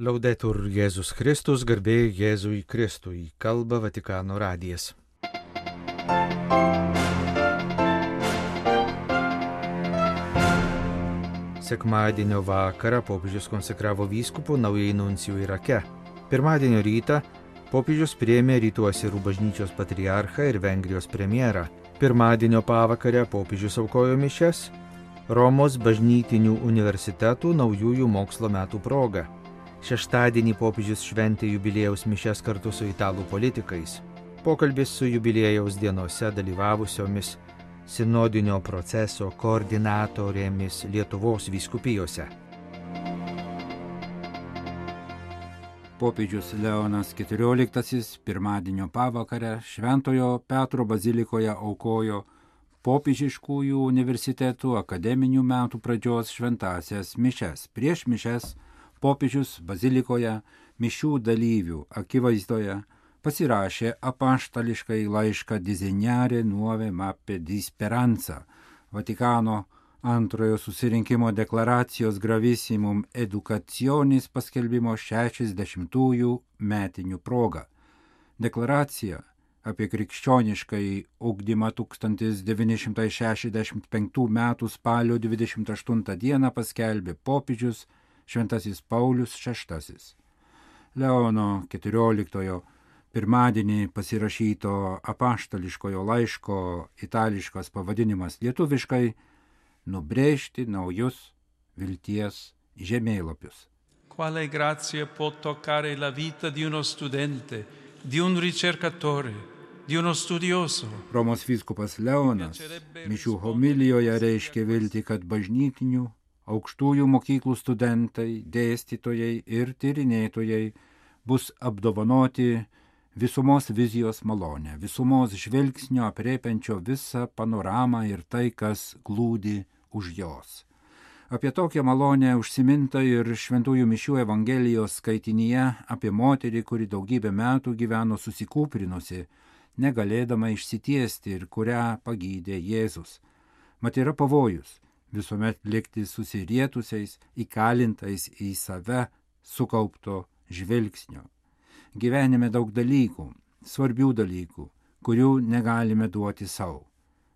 Laudetur Jėzus Kristus, garbė Jėzui Kristui, kalba Vatikano radijas. Sekmadienio vakarą popiežius konsekravo vyskupu naujai nuncijų Irake. Pirmadienio rytą popiežius priėmė Rytų Asirų bažnyčios patriarchą ir Vengrijos premjerą. Pirmadienio pavakarę popiežius aukojo mišias Romos bažnytinių universitetų naujųjų mokslo metų proga. Šeštadienį popiežius šventė jubiliejaus mišias kartu su italų politikais. Pokalbis su jubiliejaus dienose dalyvavusiomis sinodinio proceso koordinatorėmis Lietuvos vyskupijose. Popiežius Leonas XIV pirmadienio pavakarę Šventojo Petro bazilikoje aukojo popiežiškųjų universitetų akademinių metų pradžios šventąsias mišias. Prieš mišias popiežius bazilikoje mišių dalyvių akivaizdoje pasirašė apaštališkai laišką Disegnare Nuove Mappe di Speranza, Vatikano antrojo susirinkimo deklaracijos Gravissimum Educationis paskelbimo 60-ųjų metinių proga. Deklaracija apie krikščioniškąjį ugdymą 1965 m. spalio 28 d. paskelbė popiežius Šventasis Paulius VI. Leono XIV pirmadienį pasirašyto apaštališkojo laiško itališkas pavadinimas lietuviškai nubrėžti naujus vilties žemėlapius. Quale grazia può toccare la vita di uno studente, di un ricercatore, di uno studioso. Romos vyskupas Leonas mišių homilijoje reiškė viltį, kad bažnytinių aukštųjų mokyklų studentai, dėstytojai ir tyrinėtojai bus apdovanoti visumos vizijos malonę, visumos žvilgsnio aprėpiančio visą panoramą ir tai, kas glūdi už jos. Apie tokią malonę užsiminta ir Šventųjų mišių Evangelijos skaitinyje apie moterį, kuri daugybę metų gyveno susikūprinusi, negalėdama išsitiesti ir kurią pagydė Jėzus. Mat yra pavojus visuomet likti susirietusiais, įkalintais į save sukaupto žvilgsnio. Gyvenime daug dalykų, svarbių dalykų, kurių negalime duoti savo,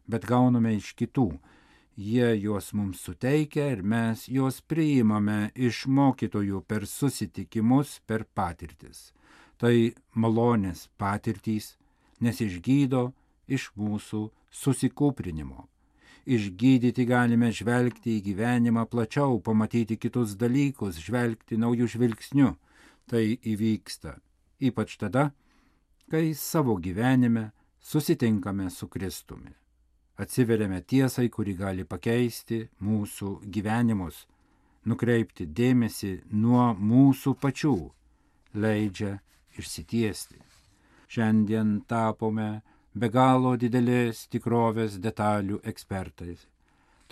bet gauname iš kitų. Jie juos mums suteikia ir mes juos priimame iš mokytojų per susitikimus, per patirtis. Tai malonės patirtys, nes išgydo iš mūsų susikūprinimo. Išgydyti galime žvelgti į gyvenimą plačiau, pamatyti kitus dalykus, žvelgti naujų žvilgsnių. Tai įvyksta ypač tada, kai savo gyvenime susitinkame su Kristumi. Atsiveriame tiesai, kuri gali pakeisti mūsų gyvenimus, nukreipti dėmesį nuo mūsų pačių, leidžia išsitiesti. Šiandien tapome be galo didelės tikrovės detalių ekspertais,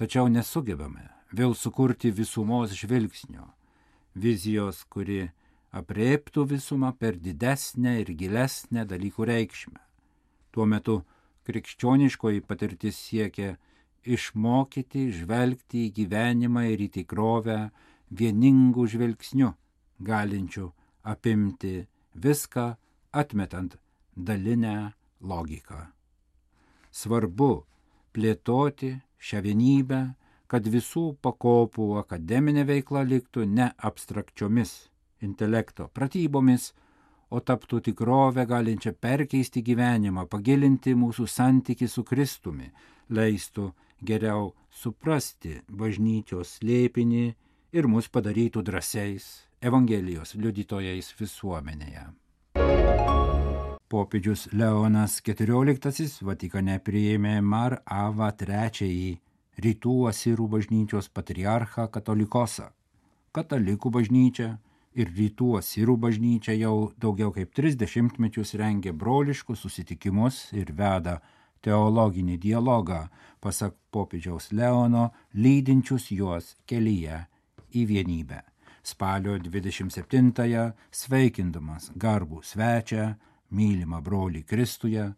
tačiau nesugebame vėl sukurti visumos žvilgsnio, vizijos, kuri aprėptų visumą per didesnę ir gilesnę dalykų reikšmę. Tuo metu krikščioniškoji patirtis siekia išmokyti žvelgti į gyvenimą ir į tikrovę vieningų žvilgsnių, galinčių apimti viską, atmetant dalinę logiką. Svarbu plėtoti šią vienybę, kad visų pakopų akademinė veikla liktų ne abstrakčiomis intelekto pratybomis, o taptų tikrovę galinčią perkeisti gyvenimą, pagilinti mūsų santykį su Kristumi, leistų geriau suprasti bažnyčios slėpinį ir mus padarytų drąsiais Evangelijos liudytojais visuomenėje. Popiežius Leonas XIV Vatikane priėmė Mar Ava III Rytų Asirų bažnyčios patriarchą Katolikosą. Katalikų bažnyčia ir Rytų Asirų bažnyčia jau daugiau kaip 30 metus rengia broliškus susitikimus ir veda teologinį dialogą, pasak popiežiaus Leono, lydinčius juos kelyje į vienybę. Spalio 27-ąją sveikindamas garbų svečią, mylimą brolį Kristuje,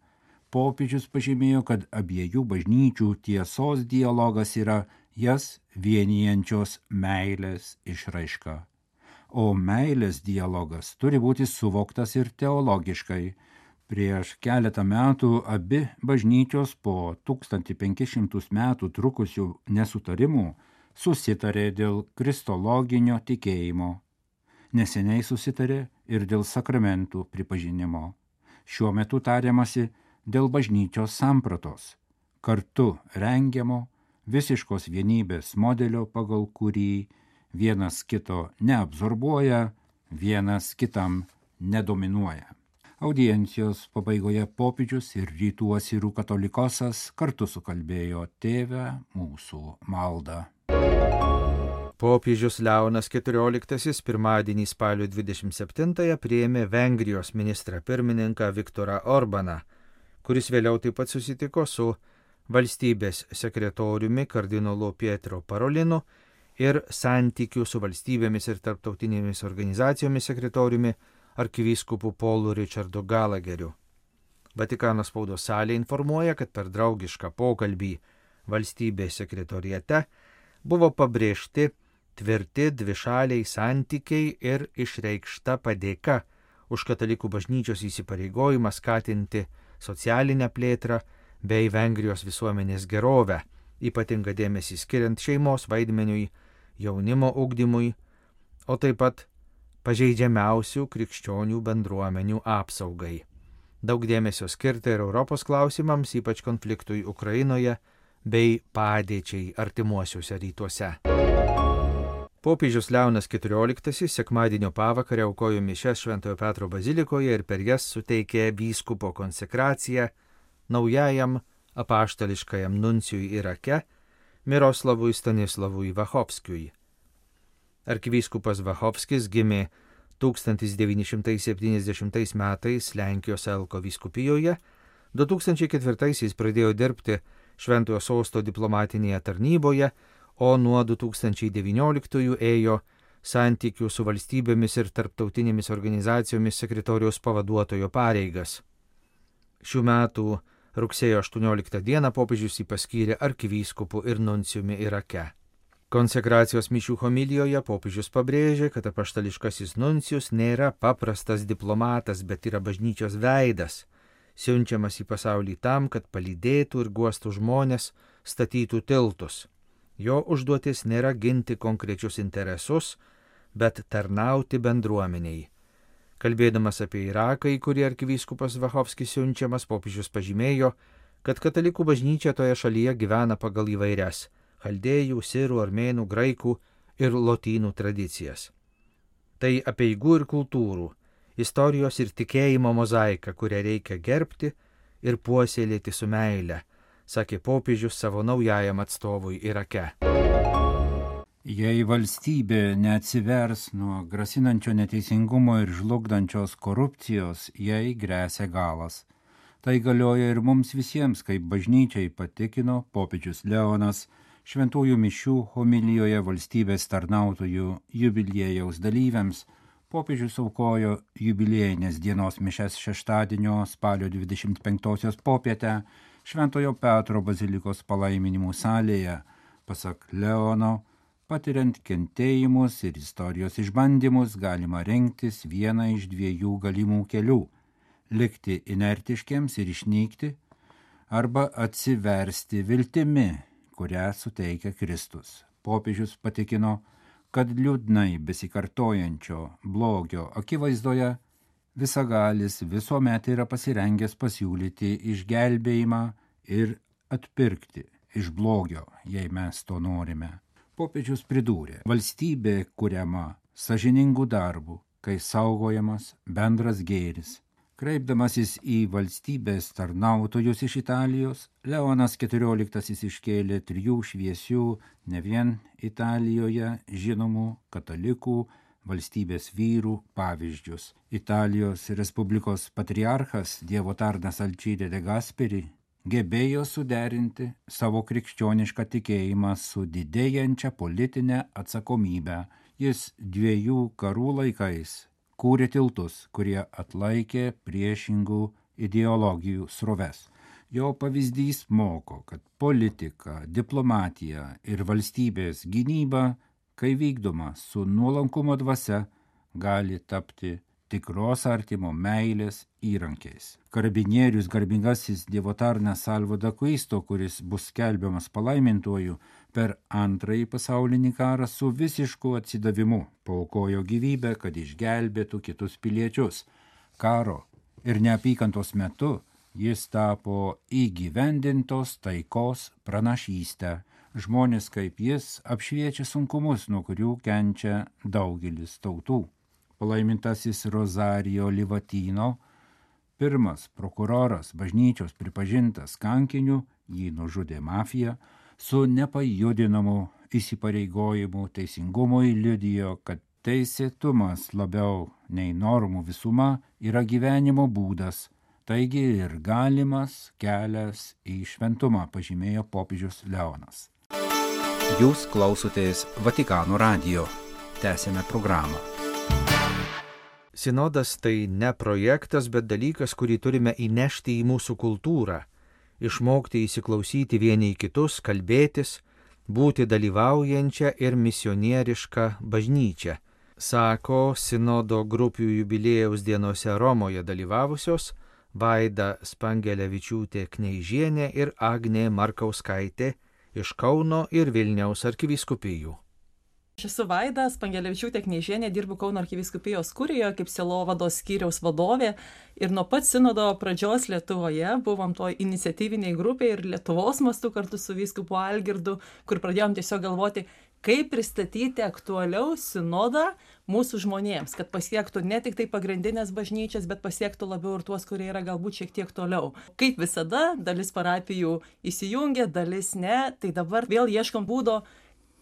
popiežius pažymėjo, kad abiejų bažnyčių tiesos dialogas yra jas vienijančios meilės išraiška. o meilės dialogas turi būti suvoktas ir teologiškai. Prieš keletą metų abi bažnyčios po 1500 metų trukusių nesutarimų susitarė dėl kristologinio tikėjimo. Neseniai susitarė ir dėl sakramentų pripažinimo. Šiuo metu tariamasi dėl bažnyčios sampratos, kartu rengiamo visiškos vienybės modelio, pagal kurį vienas kito neabsorbuoja, vienas kitam nedominuoja. Audiencijos pabaigoje popiežius ir rytų asirų katolikosas kartu sukalbėjo Tėve mūsų maldą. Popiežius Leonas XIV pirmadienį spalio 27-ąją priėmė Vengrijos ministrą pirmininką Viktorą Orbaną, kuris vėliau taip pat susitiko su valstybės sekretoriumi kardinolu Pietro Parolinu ir santykių su valstybėmis ir tarptautinėmis organizacijomis sekretoriumi arkivyskupu Paulu Richardu Gallagheriu. Vatikano spaudos salė informuoja, kad per draugišką pokalbį valstybės sekretoriate buvo pabrėžti tvirti dvišaliai santykiai ir išreikšta padėka už katalikų bažnyčios įsipareigojimą skatinti socialinę plėtrą bei Vengrijos visuomenės gerovę, ypatingą dėmesį skiriant šeimos vaidmeniui, jaunimo ugdymui, o taip pat pažeidžiamiausių krikščionių bendruomenių apsaugai. Daug dėmesio skirta ir Europos klausimams, ypač konfliktui Ukrainoje bei padėčiai artimuosiuose rytuose. Popiežius Leonas XIV sekmadienio pavakarę aukojo mišias Šventojo Petro bazilikoje ir per jas suteikė vyskupo konsekraciją naujajam apaštališkajam nuncijui Irake Miroslavui Stanislavui Vachovskiui. Arkivyskupas Vachovskis gimė 1970 metais Lenkijos Elko vyskupijoje, 2004 pradėjo dirbti Šventojo Sosto diplomatinėje tarnyboje, o nuo 2019 ėjo santykių su valstybėmis ir tarptautinėmis organizacijomis sekretoriaus pavaduotojo pareigas. Šių metų rugsėjo 18 dieną popiežius jį paskyrė arkivyskupu ir nuncijumi Irake. Konsekracijos mišių homilijoje popiežius pabrėžė, kad apaštališkasis nuncijus nėra paprastas diplomatas, bet yra bažnyčios veidas, siunčiamas į pasaulį tam, kad palydėtų ir guostų žmonės, statytų tiltus. Jo užduotis nėra ginti konkrečius interesus, bet tarnauti bendruomeniai. Kalbėdamas apie Iraką, į kurį arkivyskupas Vachovskis siunčiamas, popiežius pažymėjo, kad katalikų bažnyčia toje šalyje gyvena pagal įvairias chaldėjų, sirų, armėnų, graikų ir lotynų tradicijas. Tai apeigų ir kultūrų, istorijos ir tikėjimo mozaika, kurią reikia gerbti ir puoselėti su meile, sakė popiežius savo naujajam atstovui Irake. Jei valstybė neatsivers nuo grasinančio neteisingumo ir žlugdančios korupcijos, jai gresia galas. Tai galioja ir mums visiems, kaip bažnyčiai patikino popiežius Leonas šventųjų mišių homilijoje valstybės tarnautojų jubiliejaus dalyviams. Popiežius aukojo jubiliejinės dienos mišias šeštadienio spalio 25 popietę Šventojo Petro bazilikos palaiminimų salėje. Pasak Leono, patiriant kentėjimus ir istorijos išbandymus galima rinktis vieną iš dviejų galimų kelių – likti inertiškiams ir išnykti, arba atsiversti viltimi, kurią suteikia Kristus. Popiežius patikino, kad liūdnai besikartojančio blogio akivaizdoje visagalis visuomet yra pasirengęs pasiūlyti išgelbėjimą ir atpirkti iš blogio, jei mes to norime. Popiežius pridūrė, valstybė kuriama sąžiningų darbų, kai saugojamas bendras gėris. Kreipdamasis į valstybės tarnautojus iš Italijos, Leonas XIV iškėlė 3 šviesių, ne vien Italijoje žinomų katalikų valstybės vyrų pavyzdžius. Italijos Respublikos patriarchas Dievo tarnas Alcide de Gasperi gebėjo suderinti savo krikščionišką tikėjimą su didėjančia politinė atsakomybė. Jis 2 karų laikais kūrė tiltus, kurie atlaikė priešingų ideologijų sroves. Jo pavyzdys moko, kad politika, diplomatija ir valstybės gynyba, kai vykdoma su nuolankumo dvasia, gali tapti tikros artimo meilės įrankiais. Karabinierius garbingasis dievotarnas Salvo d'Acquisto, kuris bus skelbiamas palaimintuoju per Antrąjį pasaulinį karą, su visišku atsidavimu paaukojo gyvybę, kad išgelbėtų kitus piliečius. Karo ir neapykantos metu jis tapo įgyvendintos taikos pranašystę. Žmonės kaip jis apšviečia sunkumus, nuo kurių kenčia daugelis tautų. Palaimintasis Rosario Livatino, pirmas prokuroras bažnyčios pripažintas kankiniu, jį nužudė mafija, su nepajudinamu įsipareigojimu teisingumui liudijo, kad teisėtumas labiau nei normų visuma yra gyvenimo būdas, taigi ir galimas kelias į šventumą, pažymėjo popiežius Leonas. Jūs klausotės Vatikano radijo. Tęsiame programą. Sinodas tai ne projektas, bet dalykas, kurį turime įnešti į mūsų kultūrą, išmokti įsiklausyti vieni į kitus, kalbėtis, būti dalyvaujančią ir misionierišką bažnyčią, sako sinodo grupių jubiliejaus dienose Romoje dalyvavusios Vaida Spangelevičiūtė Kneižienė ir Agnė Markauskaitė iš Kauno ir Vilniaus arkivyskupijų. Aš esu Vaida Spangelevičiūtė Kneižienė, dirbu Kauno arkivyskupijos kurijoje kaip sielovados skyriaus vadovė ir nuo pat sinodo pradžios Lietuvoje buvom to iniciatyviniai grupė ir Lietuvos mastu kartu su vyskupu Algirdu, kur pradėjom tiesiog galvoti, kaip pristatyti aktualiau sinodą mūsų žmonėms, kad pasiektų ne tik tai pagrindinės bažnyčias, bet pasiektų labiau ir tuos, kurie yra galbūt šiek tiek toliau. Kaip visada, dalis parapijų įsijungia, dalis ne, tai dabar vėl ieškom būdo,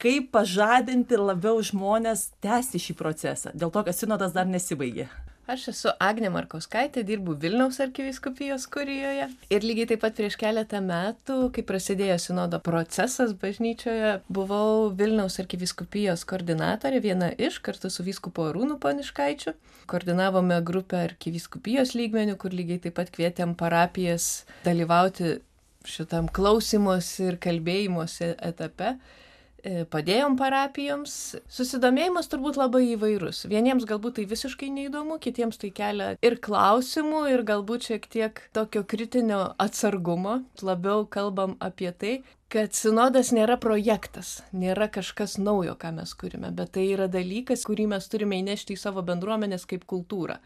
kaip pažadinti labiau žmonės tęsti šį procesą, dėl to, kad sinodas dar nesibaigė. Aš esu Agnė Markauskaitė, dirbu Vilniaus arkivyskupijos kurijoje ir lygiai taip pat prieš keletą metų, kai prasidėjo sinodo procesas bažnyčioje, buvau Vilniaus arkivyskupijos koordinatorė, viena iš, kartu su vyskupu Arūnu Poniškaičiu. Koordinavome grupę arkivyskupijos lygmenių, kur lygiai taip pat kvietėm parapijas dalyvauti šitam klausymosi ir kalbėjimuose etape. Padėjom parapijoms. Susidomėjimas turbūt labai įvairus. Vieniems galbūt tai visiškai neįdomu, kitiems tai kelia ir klausimų, ir galbūt šiek tiek tokio kritinio atsargumo. Labiau kalbam apie tai, kad sinodas nėra projektas, nėra kažkas naujo, ką mes kurime, bet tai yra dalykas, kurį mes turime įnešti į savo bendruomenės kaip kultūrą.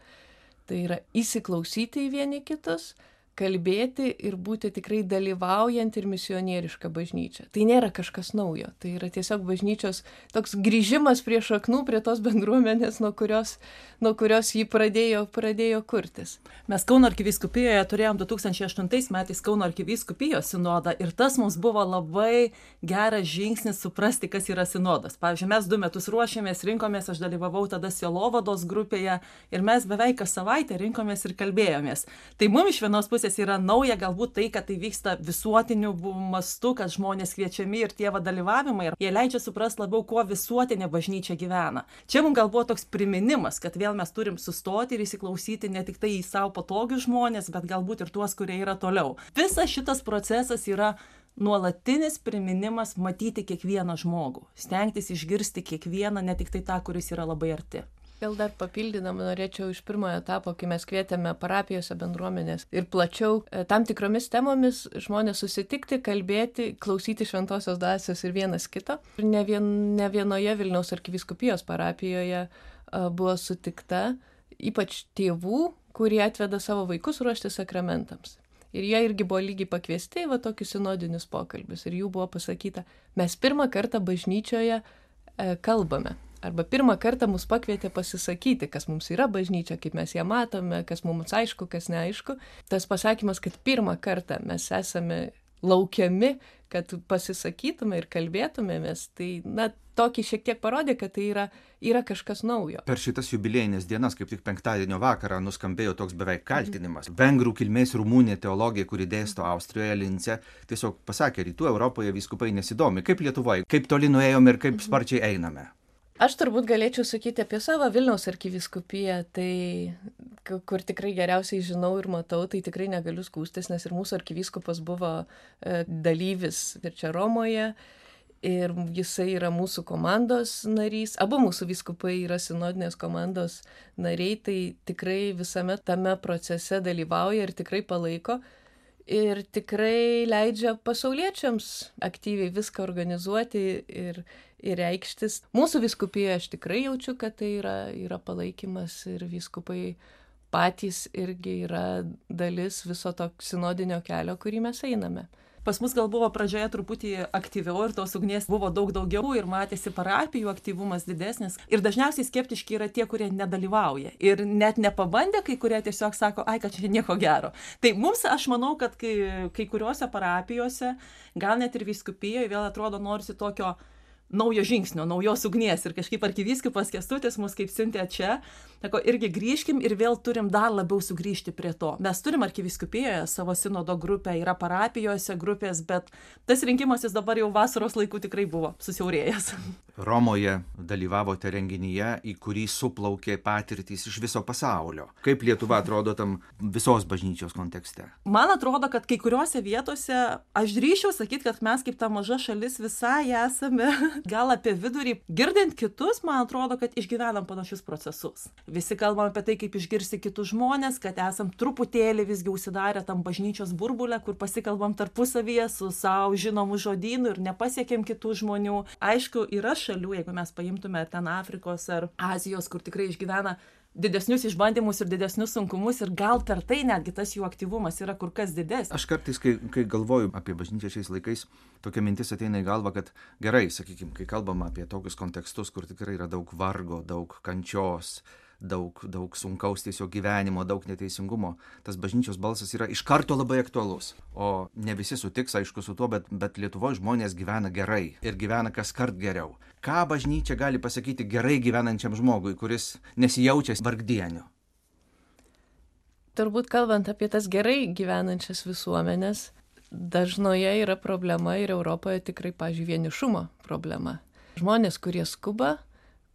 Tai yra įsiklausyti į vieni kitus, kalbėti ir būti tikrai dalyvaujant ir misionieriška bažnyčia. Tai nėra kažkas naujo, tai yra tiesiog bažnyčios toks grįžimas prie šaknų, prie tos bendruomenės, nuo kurios jį pradėjo kurtis. Mes Kauno arkivyskupijoje turėjom 2008 metais Kauno arkivyskupijos sinodą ir tas mums buvo labai geras žingsnis suprasti, kas yra sinodas. Pavyzdžiui, mes 2 metus ruošėmės, rinkomės, aš dalyvavau tada sielovados grupėje ir mes beveik kas savaitę rinkomės ir kalbėjomės. Tai mums iš vienos pusės yra nauja galbūt tai, kad tai vyksta visuotiniu mastu, kad žmonės kviečiami ir tie dalyvavimai ir jie leidžia suprasti labiau, kuo visuotinė bažnyčia gyvena. Čia mums gal buvo toks priminimas, kad vėl mes turim sustoti ir įsiklausyti ne tik tai į savo patogius žmonės, bet galbūt ir tuos, kurie yra toliau. Visas šitas procesas yra nuolatinis priminimas matyti kiekvieną žmogų, stengtis išgirsti kiekvieną, ne tik tai tą, kuris yra labai arti. Gal dar papildydama norėčiau iš pirmojo etapo, kai mes kvietėme parapijose bendruomenės ir plačiau tam tikromis temomis žmonės susitikti, kalbėti, klausyti šventosios dvasios ir vienas kito. Ir ne vienoje Vilniaus arkivyskupijos parapijoje buvo sutikta ypač tėvų, kurie atveda savo vaikus ruošti sakramentams. Ir jie irgi buvo lygiai pakviesti į tokius sinodinius pokalbius. Ir jų buvo pasakyta, mes pirmą kartą bažnyčioje kalbame. Arba pirmą kartą mus pakvietė pasisakyti, kas mums yra bažnyčia, kaip mes ją matome, kas mums aišku, kas neaišku. Tas pasakymas, kad pirmą kartą mes esame laukiami, kad pasisakytume ir kalbėtumėmės, tai tokį šiek tiek parodė, kad tai yra kažkas naujo. Per šitas jubiliejinės dienas, kaip tik penktadienio vakarą, nuskambėjo toks beveik kaltinimas. Vengrų kilmės rumunė teologija, kuri dėsto Austrijoje, Lince, tiesiog pasakė, rytų Europoje vyskupai nesidomi. Kaip Lietuvoje, kaip toli nuėjome ir kaip sparčiai einame? Aš turbūt galėčiau sakyti apie savo Vilniaus arkivyskupiją, tai kur tikrai geriausiai žinau ir matau, tai tikrai negaliu skųstis, nes ir mūsų arkivyskupas buvo dalyvis ir čia Romoje. ir jisai yra mūsų komandos narys. Abu mūsų vyskupai yra sinodinės komandos nariai, tai tikrai visame tame procese dalyvauja ir tikrai palaiko. Ir tikrai leidžia pasauliečiams aktyviai viską organizuoti ir reikštis. Mūsų vyskupijoje aš tikrai jaučiu, kad tai yra palaikymas ir vyskupai patys irgi yra dalis viso to sinodinio kelio, kurį mes einame. Pas mus gal buvo pradžioje truputį aktyviau ir tos ugnies buvo daug daugiau ir matėsi parapijų aktyvumas didesnis. Ir dažniausiai skeptiški yra tie, kurie nedalyvauja. Ir net nepabandė, kai kurie tiesiog sako, ai, kad čia nieko gero. Tai mums, aš manau, kad kai kuriuose parapijose, gal net ir vyskupijoje vėl atrodo norisi tokio naujo žingsnio, naujos ugnies. Ir kažkaip arkivyskupas Kęstutis mus kaip siuntė čia, sako, irgi grįžkim ir vėl turim dar labiau sugrįžti prie to. Mes turim arkivyskupijoje savo sinodo grupę, yra parapijose grupės, bet tas rinkimasis dabar jau vasaros laikų tikrai buvo susiaurėjęs. Romoje dalyvavote renginyje, į kurį suplaukė patirtys iš viso pasaulio. Kaip Lietuva atrodo tam visos bažnyčios kontekste? Man atrodo, kad kai kuriuose vietose, aš drįsčiau sakyti, kad mes kaip ta maža šalis visai esame gal apie vidurį. Girdint kitus, man atrodo, kad išgyvenam panašius procesus. Visi kalbam apie tai, kaip išgirsti kitus žmonės, kad esam truputėlį visgi užsidarę tam bažnyčios burbulę, kur pasikalbam tarpusavyje su savo žinomu žodynu ir nepasiekėm kitų žmonių. Aišku, yra šalių, jeigu mes paimtume ten Afrikos ar Azijos, kur tikrai išgyvena didesnius išbandymus ir didesnius sunkumus ir gal per tai netgi tas jų aktyvumas yra kur kas didesnis. Aš kartais, kai galvoju apie bažnyčią šiais laikais, tokia mintis ateina į galvą, kad gerai, sakykime, kai kalbam apie tokius kontekstus, kur tikrai yra daug vargo, daug kančios, daug sunkaus tiesiog gyvenimo, daug neteisingumo, tas bažnyčios balsas yra iš karto labai aktualus. O ne visi sutiks, aišku, su tuo, bet Lietuvoje žmonės gyvena gerai ir gyvena kas kart geriau. Ką bažnyčia gali pasakyti gerai gyvenančiam žmogui, kuris nesijaučia vargdieniu? Turbūt kalbant apie tas gerai gyvenančias visuomenės, dažnoje yra problema ir Europoje tikrai, pavyzdžiui, vienišumo problema. Žmonės, kurie skuba,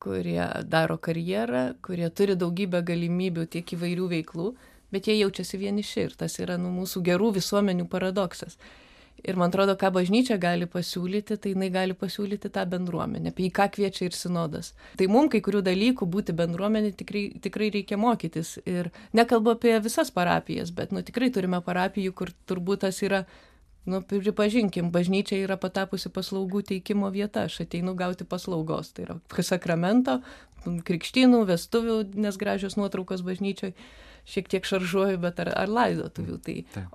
kurie daro karjerą, kurie turi daugybę galimybių tiek įvairių veiklų, bet jie jaučiasi vieniši ir tas yra mūsų gerų visuomenių paradoksas. Ir man atrodo, ką bažnyčia gali pasiūlyti, tai jinai gali pasiūlyti tą bendruomenę, apie ką kviečia ir sinodas. Tai mums kai kurių dalykų būti bendruomenė tikrai reikia mokytis. Ir nekalbu apie visas parapijas, bet tikrai turime parapijų, kur turbūt tas yra, pripažinkim, bažnyčia yra patapusi paslaugų teikimo vieta. Aš ateinu gauti paslaugos. Tai yra sakramento, krikštynų, vestuvių, nes gražios nuotraukos bažnyčioj. Šiek tiek šaržuoju, bet ar laidotuvių.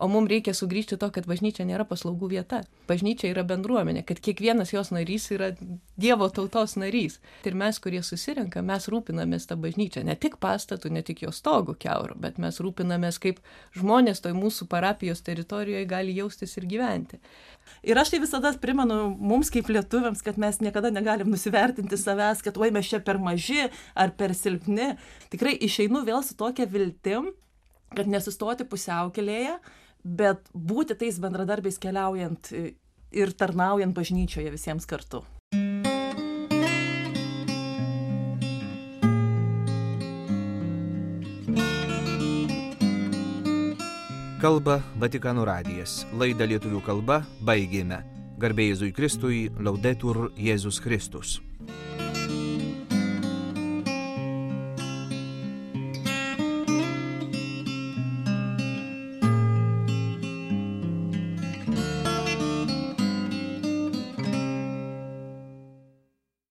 O mums reikia sugrįžti to, kad bažnyčia nėra paslaugų vieta. Bažnyčia yra bendruomenė, kad kiekvienas jos narys yra Dievo tautos narys. Ir mes, kurie susirenka, mes rūpinamės tą bažnyčią. Ne tik pastatų, ne tik jos stogų kiaurų, bet mes rūpinamės, kaip žmonės toj mūsų parapijos teritorijoje gali jaustis ir gyventi. Ir aš tai visada primenu mums kaip lietuviams, kad mes niekada negalim nusivertinti savęs, kad oi mes čia per maži ar per silpni. Tikrai išeinu vėl su tokia viltim, kad nesustoti pusiaukelėje, bet būti tais bendradarbiais keliaujant ir tarnaujant bažnyčioje visiems kartu. Kalba Vatikano radijas. Laidą lietuvių kalba baigėme. Garbė Jėzui Kristui, Laudetur Jėzus Kristus.